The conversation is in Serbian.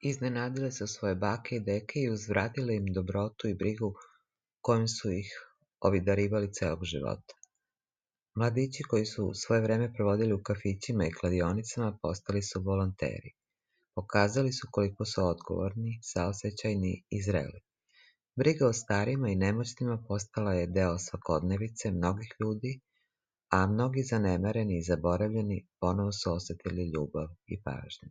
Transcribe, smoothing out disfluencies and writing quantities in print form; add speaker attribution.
Speaker 1: Iznenadile su svoje bake i deke i uzvratile im dobrotu i brigu kojom su ih obdarivali celog života. Mladići koji su svoje vreme provodili u kafićima i kladionicama postali su volonteri. Pokazali su koliko su odgovorni, saosećajni i zreli. Briga o starima i nemoćnima postala je deo svakodnevice mnogih ljudi, a mnogi zanemareni i zaboravljeni ponovo su osetili ljubav i pažnju.